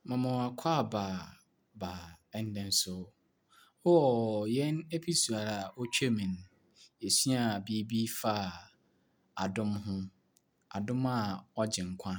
Mema wo akwaaba ba ndɛ nso. Wɔ yɛn episode a otwa mu no, yesuaa biribi faa adom ho. Adom a ɔgye nkwa.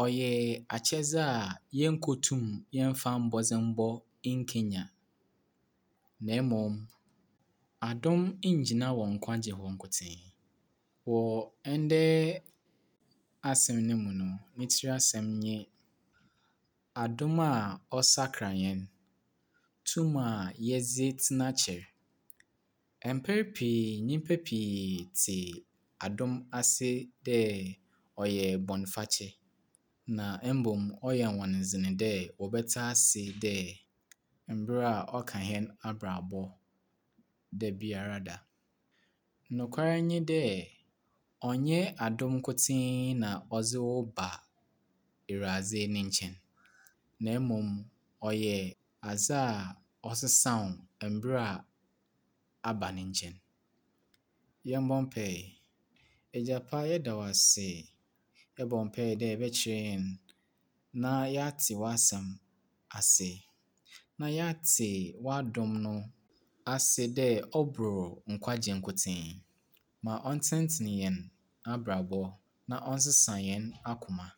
Ɔyɛ akyɛdze a yennkotum yɛmmfa mbɔdzembɔ nnkenya. Na mbom, adom nngyina wɔ nkwagye hɔ nkotsee. Wɔ ndɛ asɛm no mu no, ne tsir asɛm nye adom a ɔsakra hɛn, tum a yɛdze tsena kyɛr. Mpɛn pii nyimpa pii tse adom ase dɛ ɔyɛ bɔnfakyɛ, na mbom ɔyɛ hɔn dzen dɛ wɔbɛtse ase dɛ mbrɛ a ɔka hɛn abrabɔ da biara da. Nokwar nye dɛ, ɔnnyɛ adom nkotsee na ɔdze wo ba Ewuradze ne nkyɛn, na mbom ɔyɛ adze a ɔsesa wo mbrɛ a aba ne nkyɛn. Yɛmbɔ mpae. Egya pa, yɛda wo ase. Yɛbɔ mpae dɛ ebɛkyerɛ hɛn na yɛatse w'asɛm ase, na yɛatse w'adom no ase dɛ ɔbor nkwagye nkotsee. Ma ɔntsenntsen hɛn abrabɔ na ɔnsesa hɛn akoma.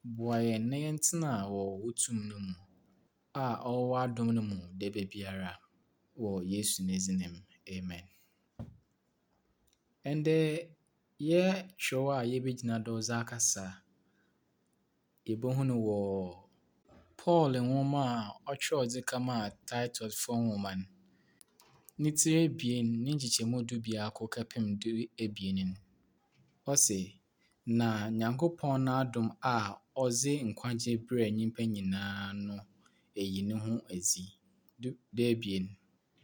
Boa hɛn na yɛntsena wɔ wo tum no mu a ɔwɔ w'adom no mu dabiara wɔ Yesu ne dzin mu, amen. Ndɛ yɛ kyerɛw a yebegyina do dze akasa, yebohu no wɔ Paul nwoma a ɔkyerɛw dze kɛmaa Titusfo nwoma no, ne tsir ebien ne nkyekyɛmu 11 kɛpem 12 no. Ɔse, na Nyankopɔn n'adom a ɔdze nkwagye brɛ nyimpa nyinaa no eyi no ho edzi. Du 12.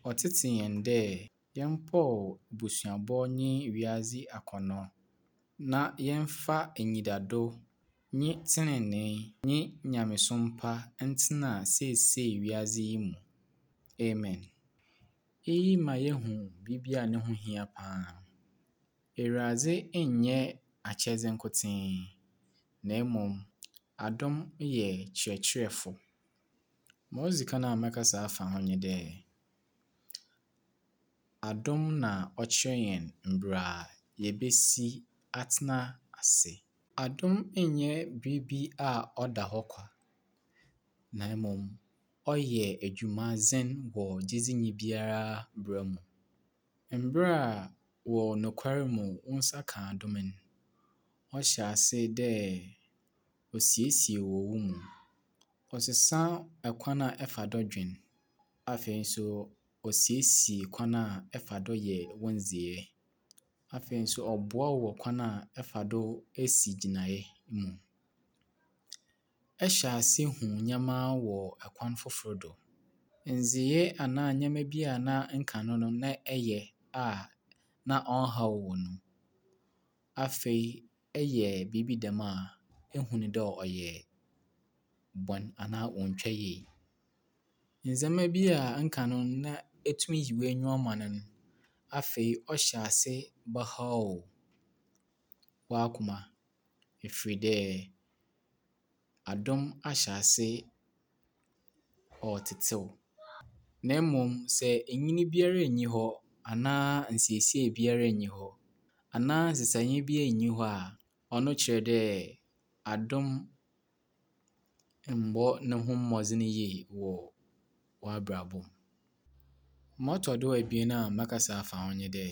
Ɔtsetse hɛn dɛ yɛmpɔw ebusuabɔ nye wiadze akɔnnɔ, na yɛmfa enyidado nye tsenenee nye nyamesom pa ntsena seesei wiadze yi mu. Amen. Iyi ma yehu biribi a no ho hia paa. Ewuradze nnyɛ akyɛdze nkotsee, na mbom adom yɛ kyerɛkyerɛfo. Ma odzi kan a mɛkasa afa ho nye dɛ, adom na ɔkyerɛ hɛn mbrɛ yebesi atsena ase. Adom nnyɛ biribi a ɔda hɔ kwa, na mbom ɔyɛ edwumadzen wɔ gyedzinyi biara bra mu. Mber a wɔ nokwar mu wo nsa ka adom no, ɔhyɛ ase dɛ osiesie wɔ wo mu. Ɔsesa kwan a ɛfa do dwen. Afei nso osiesie kwan a ɛfa do yɛ wo ndzeyɛɛ. Afei nso ɔboa wo wɔ kwan a ɛfa do si gyinae mu. Ɛhyɛ ase hu ndzɛmba wɔ kwan fofor do. Ndzeyɛɛ anaa ndzɛmba bi a na nkan no na ɛyɛ a na ɔnnhaw wo no, afei ɛyɛ biribi dɛm a, ihu no dɛ ɔyɛ bɔn anaa onntwa yie. Ndzɛmba bi a nkan no na etum yi w'enyiwa ma no no, afei ɔhyɛ ase bɛhaw w'akoma ɛfiri dɛ adom ahyɛ ase ɔretsetsew. Na mbom sɛ enyin biara nnyi hɔ anaa nsiesie biara nnyi hɔ anaa nsesaeɛ biara nnyi hɔ a, ɔno kyerɛ dɛ adom mmbɔ no ho mbɔdzen yie wɔ w'abrabɔ mu. Ma ɔtɔ do ebien a mɛkasa afa ho nye dɛ,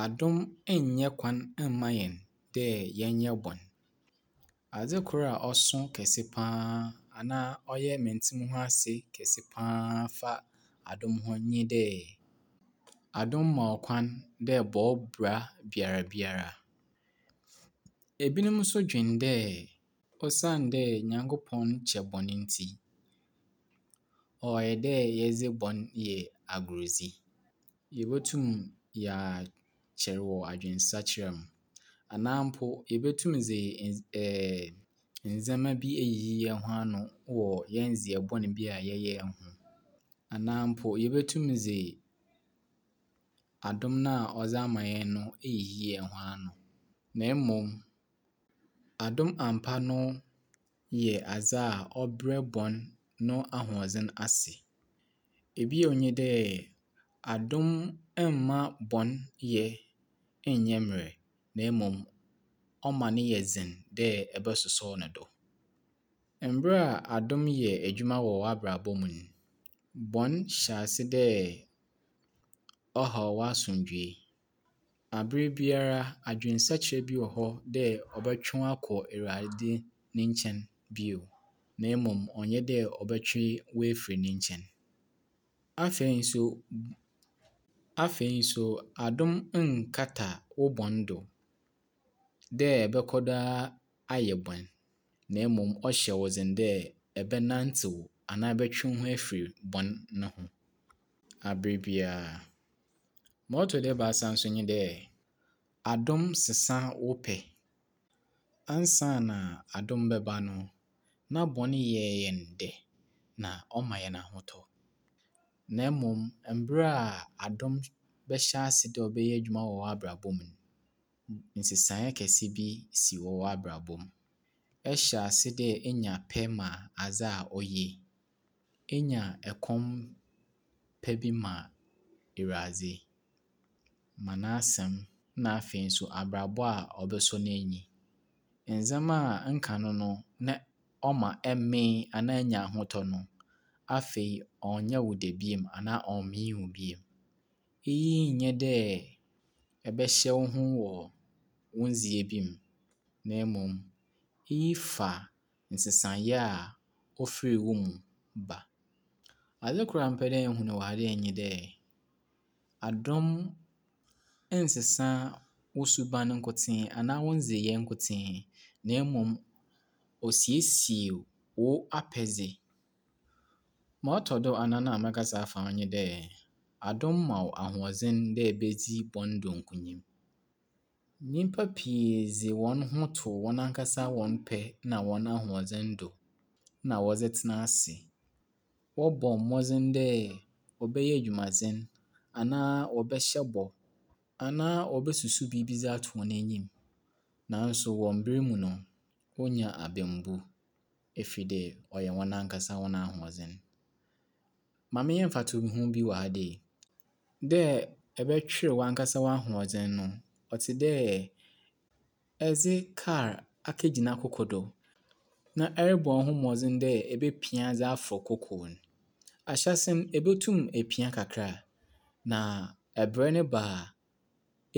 adom nnyɛ kwan mma hɛn dɛ yɛnyɛ bɔn. Adze kor a ɔso kɛse paa anaa ɔyɛ menntse-mo-ho-ase kɛse paa fa adom ho nye dɛ, adom ma wo kwan dɛ bɔ wo bra biara biara. Ebinom nso dwen dɛ osiandɛ Nyankopɔn kyɛ bɔn ntsi, ɔyɛ dɛ yɛdze bɔn yɛ agordzi. Yebotum yɛakyɛr wɔ adwensakyera mu anaa mpo yebotum dze ndz ndzɛmba bi eyiyi hɛnho ano wɔ hɛn ndzeyɛɛ bɔn bi a yɛyɛe ho. Anaa mpo yebotum dze adom no a ɔdze ama hɛn no eyiyi hɛnho ano. Na mbom, adom ampa no. yɛ adze a ɔbrɛ bɔn no ahoɔdzen ase. Bio nye dɛ, adom mma bɔn yɛ nnyɛ mberɛw na mbom ɔma no yɛ dzen dɛ ebɔsosɔw no do. Mber a adom yɛ edwuma wɔ w'abrabɔ mu no, bɔn hyɛ ase dɛ ɔhaw w'asomdwee. Aber biara adwensakyer bi wɔ hɔ dɛ ɔbɔtwe wo akɔ Ewuradze ne nkyɛn bio, na mbom ɔnnyɛ dɛ ɔbɔtwe wo efir ne nkyɛn. Afei so, afei so adom nnkata wo bɔn do dɛ ebɔkɔ do ara ayɛ bɔn, na mbom ɔhyɛ wo dzen dɛ ebɛnantsew anaa ebɔtwe wo ho efir bɔn no ho aber biara. Ma ɔtɔ do ebiasa so nye dɛ, adom sesa wo pɛ. Ansaana adom bɛba no, na bɔn yɛ hɛn dɛ na ɔma hɛn ahotɔ. Na mbom mber a adom bɛhyɛ ase dɛ ɔbɛyɛ edwuma wɔ w'abrabɔ mu no, nsesae kɛse bi si wɔ w'abrabɔ mu. Ɛhyɛ ase dɛ enya pɛ ma adze a oye. Enya kɔm pɛ bi ma Ewuradze, ma n'asɛm na afei so abrabɔ a ɔbɔsɔ n'enyi. Ndzɛmba a nkan no na ɔma emee anaa enya ahotɔ no, afei ɔnnyɛ wo dɛ bio anaa ɔmmee wo bio. Iyi nnyɛ dɛ ebɛhyɛ wo ho wɔ wo ndzeyɛɛ bi mu, na mbom iyi fa nsesaeɛ a ofir wo mu ba. Adze kor a mepɛ dɛ ihu no wɔ ha dei nye dɛ, adom nnsesa wo suban nkotsee anaa wo ndzeyɛɛ nkotsee, na mbom osiesie wo apɛdze. Ma ɔtɔ do anan a mɛkasa afa ho nye dɛ, adom ma wo ahoɔdzen dɛ ebedzi bɔn do nkonyim. Nyimpa pii dze hɔn ho to hɔn ankasa hɔn pɛ na hɔn ahoɔdzen do na wɔdze tsena ase. Wɔbɔ mbɔdzen dɛ wɔbɛyɛ edwumadzen anaa wɔbɛhyɛ bɔ anaa wobesusu biribi dze ato hɔn enyim. Naaso wɔ mber mu no, wonya abambu ɛfiri dɛ ɔyɛ hɔn ankasa hɔn ahoɔdzen. Ma menyɛ mfatoho bi wɔ ha dei. Dɛ ebɛtwer w'ankasa w'ahoɔdzen no, ɔtse dɛ edze kaar akegyina koko do na ɛrobɔ woho mbɔdzen dɛ ebepia dze afor koko no. Ahyɛse no, ebotum epia kakra, na brɛ no ba a,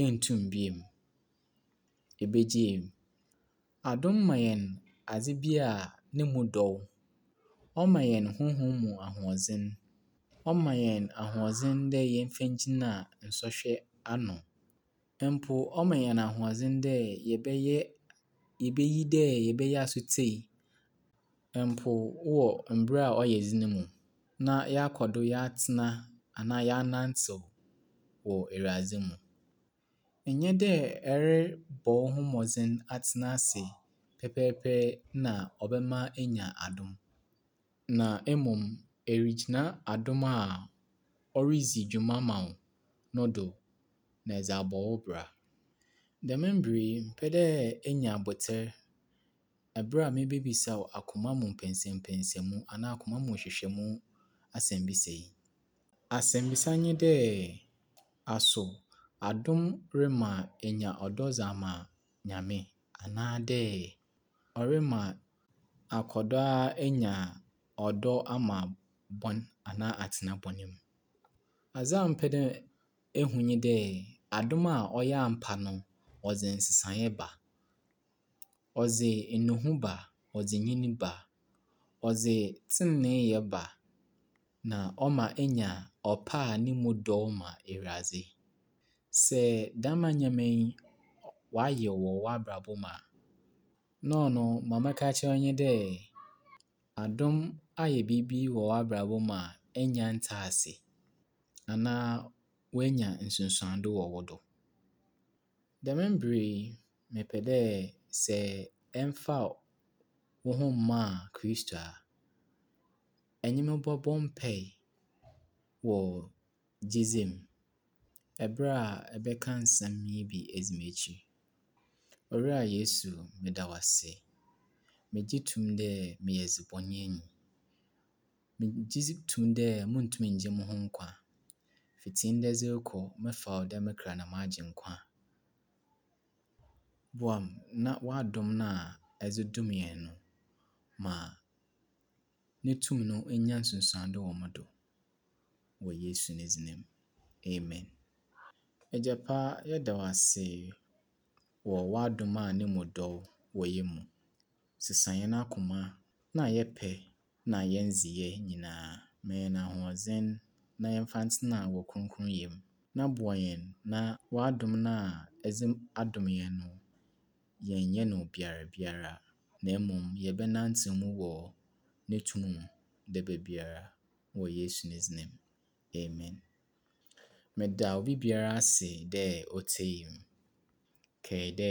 enntum bio, ebegyaa mu. Adom ma hɛn adze bi a no mu dɔ, ɔma hɛn honhom mu ahoɔdzen, ɔma hɛn ahoɔdzen dɛ yɛmfa ngyina nsɔhwɛ ano. Mpo ɔma hɛn ahoɔdzen dɛ yɛbɛyɛ yebeyi dɛ yɛbɛyɛ asotsie mpo wɔ mber a ɔyɛ dzen mu na yɛakɔ do yɛatsena anaa yɛanantsew wɔ Ewuradze mu. Nnyɛ dɛ erobɔ woho mbɔdzen atsena ase pɛpɛɛpɛ na ɔbɛma enya adom, na mbom erigyina adom a oridzi dwuma ma wo no do na edze abɔ wo bra. Dɛm mber yi, mepɛ dɛ inya abotar ber a mibebisa wo akoma mu mpɛnsɛmpɛnsɛmu anaa akoma mu nhwehwɛmu asɛmbisa yi. Asɛmbisa nye dɛ, aso adom rema enya ɔdɔ dze ama Nyame anaadɛ ɔrema akɔ do ara enya ɔdɔ ama bɔn anaa atsena bɔn mu? Adze a mepɛ dɛ ihu nye dɛ, adom a ɔyɛ ampa no, ɔdze nsesae ba. Ɔdze nnuho ba, ɔdze nyin ba, ɔdze tseneneeyɛ ba, na ɔma inya ɔpɛ a no mu dɔ ma Ewuradze. Sɛ dɛm ndzɛmba yi wɔayɛ wɔ w'abrabɔ mu a, na ɔno ma mɛka akyerɛ wo nye dɛ, adom ayɛ biribi wɔ w'abrabɔ mu a ennya nntse ase anaa oenya nsunsuando wɔ wo do. Dɛm mber yi, mepɛ dɛ sɛ emmfaa woho mmaa Kristo a, enye me bɔbɔ mpae wɔ gyedzi mu ber a ebɛka nsɛm yi bi edzi m'ekyir. Owura Yesu, meda wo ase. Megye to mu dɛ meyɛ dzebɔnyɛnyi. Megye dzi to mu dɛ munntum nngye moho nkwa. Fitsi ndɛ dze rokɔ, mɛfa wo dɛ me kra na m'agyenkwa. Boa me na w'adom no a edze dom hɛn no, ma no tum no nya nsunsuando wɔ mo do. Wɔ Yesu ne dzin mu, amen. Egya pa, yɛda wo ase wɔ w'adom a no mu dɔ wɔ hɛn mu. Sesa hɛn akoma na yɛn pɛ na hɛn ndzeyɛɛ nyinaa. Ma hɛn ahoɔdzen na yɛmfa ntsena wɔ krɔnkrɔnyɛ mu. Na boa hɛn na w'adom no a edze adom hɛn no, yɛnnyɛ no biara biara, na mbom yɛbɛnantsew mu wɔ no tum mu da biara wɔ Yesu ne dzin mu, amen. Meda obi biara ase dɛ otsiei me. Kae dɛ,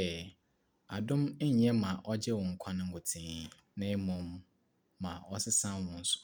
adom nnyɛ ma ɔgye wo nkwa no nkotsee, na mbom ma ɔsesa wo nso.